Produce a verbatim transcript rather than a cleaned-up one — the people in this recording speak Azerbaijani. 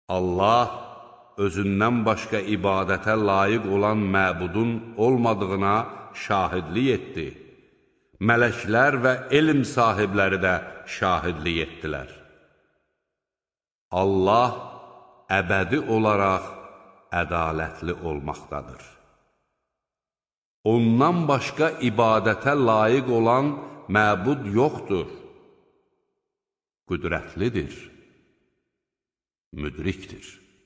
Allah özündən başqa ibadətə layiq olan məbudun olmadığına şahidlik etdi. Mələklər və elm sahibləri də şahidlik etdilər. Allah əbədi olaraq ədalətli olmaqdadır. Ondan başqa ibadətə layiq olan məbud yoxdur. Qüdrətlidir, müdrikdir.